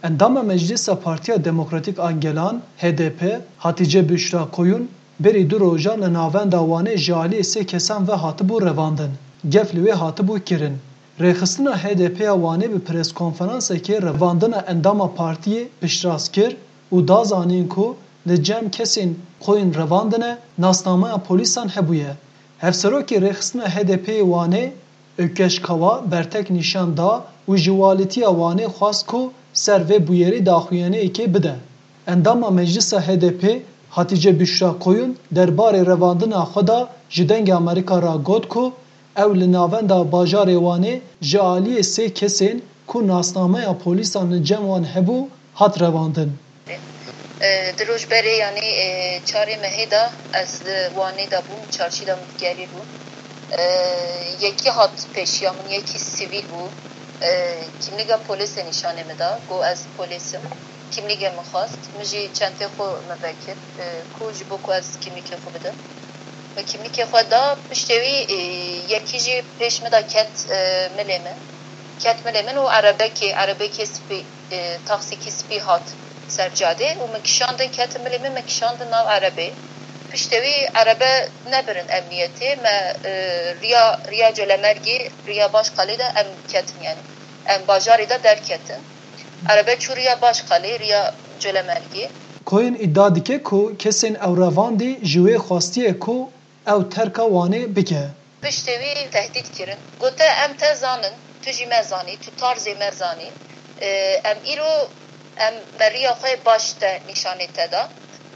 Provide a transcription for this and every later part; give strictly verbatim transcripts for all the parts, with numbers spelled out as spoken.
Endama Meclisa Partiya Demokratîk a Gelan, H D P, Hatice Büşra Koyun, berî du rojan li navenda Wanê ji aliyê sê kesan ve hatibû revandin. Gef li wê hatibû kirin. Rêxistina H D P ya Wanê bi preskonferansekê revandina endama partiyê piştrast kir û da zanîn ku li cem kesên Koyun revandine nasnameya polîsan hebûye. Hevserokê Rêxistina H D P'ê Wanê, Ökeş Kawa, bertek nîşan da û ji walîtiya Wanê xwest ku ser vê bûyerê daxuyaniyekê bide. Endama Meclisa H D P, Hatice Büşra Koyun, derbarê revandina xwe de ji Dengê Amerîka re got ku ew li navenda bajarê Wanê ji aliyê sê kesên ku nasnameya polîsan li cem wan hebû, hat revandin. E, Di roj berê, yanî e, çarê mehê de ez li Wanê de bûm, çarşî de min digerî bû. E, Yekî hat pêşiya min, yekî sivîl bû. E, Kimlîga polêsê nîşanê min da, got ez polês im. Kimlîgê min xwest, min jî çentê xwe min vekir, e, ku ji bo ku ez kimlîkê xwe bidim. Min kimlîkê xwe da, piştê wî e, yekî jî pêş min de ket e, milê min. Ket milê min û erebekê, erebekê spî, e, taksîkî spî hat ser cadê û min kişandin, ketin milê min, min kişandin nav erebê. Piştê wî erebe nebirin emniyetê, me e, riya, riya Colemergê, riya Başkalê de em ketin, yanî em bajarê de derketin. Erebe çû riya Başkalê, riya Colemergê. Koyun îdia dike ku kesên ew revandî ji wê xwestiye ku ew terka Wanê bike. Piştê wî tehdît kirin. Gote, em te zanin, tu jî me zanî, tu tarzê me zanî. E, em îro, em me riya xwe baş te nîşanê te da.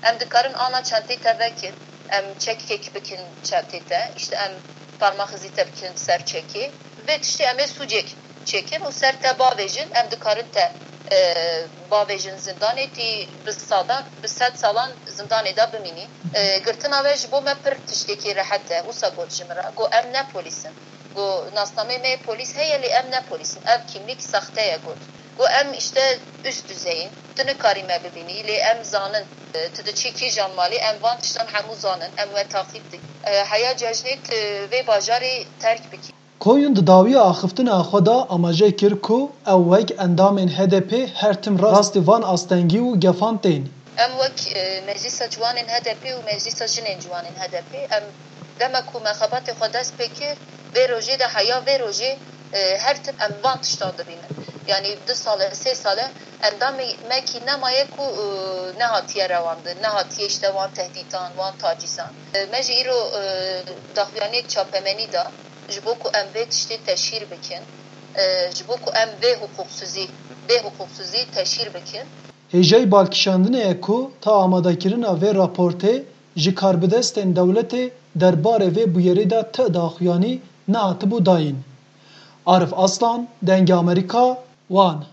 Em dikarin ana çentê te vekin, em çekek bikin çentê te, îşte em parmaxizî te bikin ser çekê. Vê tiştê em ê sûcek çêkin û ser te bavêjin, em dikarin te e, bavêjin zindanê, tî bi sadan, bi sed salan zindanê de bimînî. E, girtina we ji bo me pir tiştekî rehet e. Wisa got ji min re, got, em ne polîs in. Got, nasnameyê me yê polîs heye, lê em ne polîs in. Ev kîmlîk saxte ye, got. Got, em îşte üst düzey in. Tu nikarî me bibînî, lê em zanin, e, tu diçî kîjan malê, em van tiştan hemû zanin, em we taqîb dikin. E, heya cejnê tu vê bajarê terk bikî. Koyun di dawiya axiftina xwe de amaje kir ku ew wek endamên H D P her tim rastî van astengî û gefan tên. Em wek e, Meclîsa Ciwanên H D P û Meclîsa Jinên Ciwanên H D P, em demek ku me xebatê xwe dest pê kir, vê rojê de heya vê rojê e, her tim em van tiştan dibînin. Yanî du sal e, sê sal e, endamê me kî nemaye ku e, nehatiye rewandin, nehatiye îşte wan tehdîtan, wan tacîzan. E, me jî îro e, daxuyaniyek çapemenî da. Ji bo ku em vê tiştê teşhîr bikin, e, ji bo ku em vê hiqûqsizî, vê hiqûqsizî teşhîr bikin. Hêjayî balkişandinê ye ku ta amadekirina vê raportê ji karbidestên dewletê derbarê vê bûyerê de ti daxuyanî nehatibû dayîn. Arif Aslan, Dengê Amerîka, Wan.